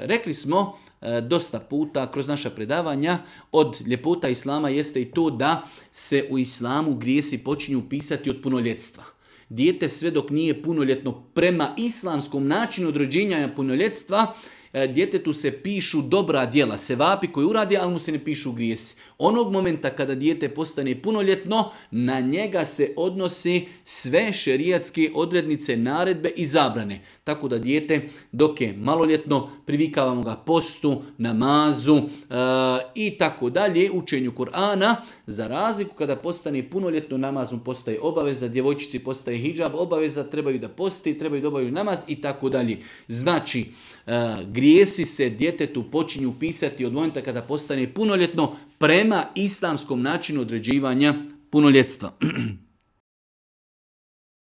Rekli smo dosta puta kroz naša predavanja, od ljepota Islama jeste i to da se u Islamu grijesi počinju pisati od punoljetstva. Dijete sve dok nije punoljetno prema islamskom načinu određenja punoljetstva, djetetu se pišu dobra djela, sevapi koji uradi, ali mu se ne pišu grijesi. Onog momenta kada dijete postane punoljetno, na njega se odnosi sve šerijatske odrednice, naredbe i zabrane. Tako da dijete dok je maloljetno, privikavamo ga postu, namazu i tako dalje, učenju Kur'ana. Za razliku kada postane punoljetno, namaz mu postaje obaveza, djevojčici postaje hidžab, obaveza, trebaju da posti, trebaju da obavljaju namaz i tako dalje. Znači, grijesi se djetetu počinju pisati od momenta kada postane punoljetno prema islamskom načinu određivanja punoljetstva.